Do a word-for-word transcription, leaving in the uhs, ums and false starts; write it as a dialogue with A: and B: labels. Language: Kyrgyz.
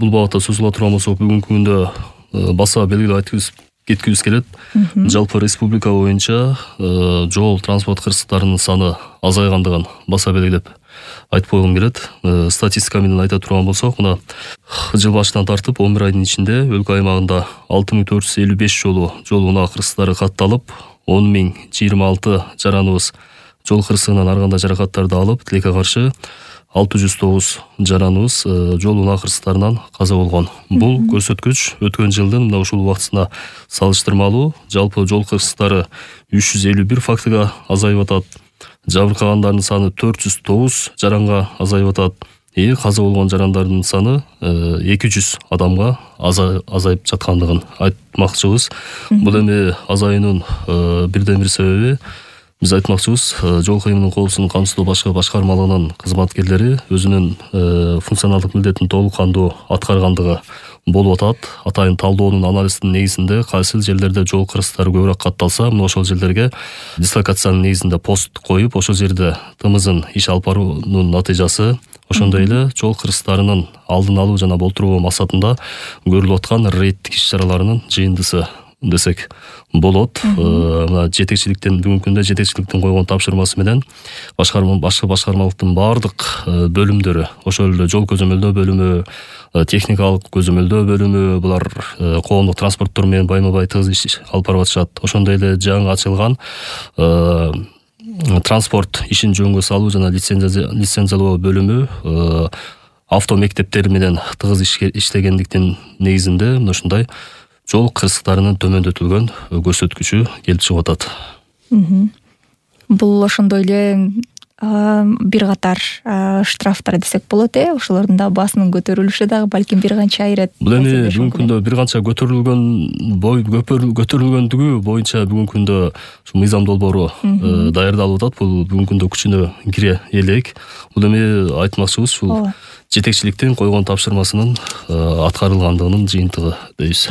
A: бул багытта сөз кыла турган болсок, бүгүнкү күндө баса белгилеп айткыбыз кеткибиз келет. Жалпы республика боюнча жол транспорт кырсыктарынын саны азайгандыгын баса белгилеп айтып койгум келет. Статистика менен айта турган болсок, мына жыл башынан тартып он бир айдын ичинде өлкө аймагында алты миң төрт жүз элүү беш жолу жол унаа кырсыктары катталып, он миң жыйырма алты жараныбыз жол кырсыгынан ар кандай жаракаттарды алып, тилекке каршы алты жүз тогуз жараныбыз жол унаа кырсыктарынан каза болгон. Бул көрсөткүч өткөн жылдын мына ушул убактысына салыштырмалуу жалпы жол кырсыктары үч жүз элүү бир фактыга азайып атат. Жабыркагандардын саны төрт жүз тогуз жаранга азайып атат. И каза болгон жарандардын саны эки жүз адамга азайып жаткандыгын айтмакчыбыз. Бул эми азаюунун бирден бир себеби биз айтмакчыбыз, жол кыймылын коопсуздугун камсыздоо башкы башкармалыгынын кызматкерлери өзүнүн функционалдык милдетин толук кандуу аткаргандыгы болуп атат. Атайын талдоонун анализдин негизинде кайсы жерлерде жол кырсыктары көбүрөөк катталса, мына ошол жерлерге дислокациянын негизинде пост коюп, ошол жерде тымызын иш алып баруунун натыйжасы, ошондой эле жол кырсыктарынын алдын алуу жана болтуруу максатында көрүлүп аткан рейдтик иш-чараларынын жыйындысы десек болот. Мына жетекчиликтен бүгүнкү күндө жетекчиликтин койгон тапшырмасы менен башкарма башкы башкармалыктын баардык бөлүмдөрү, ошол эле жол көзөмөлдөө бөлүмү, техникалык көзөмөлдөө бөлүмү, булар коомдук транспорттор менен байма-бай тыгыз иш алып барып атышат. Ошондой эле жаңы ачылган транспорт ишин жөнгө салуу жана лицензиялоо бөлүмү авто мектептери менен тыгыз иштегендиктин негизинде мына ушундай жол кырсыктарынын төмөндөтүлгөн көрсөткүчү келип чыгып атат.
B: Бул ошондой эле бир катар штрафтар десек болот, э? Ошолордун да баасынын көтөрүлүшү дагы балким бир канча айрет.
A: Бул эми бүгүнкү күндө бир канча көтөрүлгөн бой көтөрүлгөндүгү боюнча бүгүнкү күндө ушу мыйзам долбоору даярдалып атат. Бул бүгүнкү күндө күчүнө кире элек. Бул эми айтмакчыбыз ушул жетекчиликтин койгон тапшырмасынын аткарылгандыгынын жыйынтыгы дейбиз.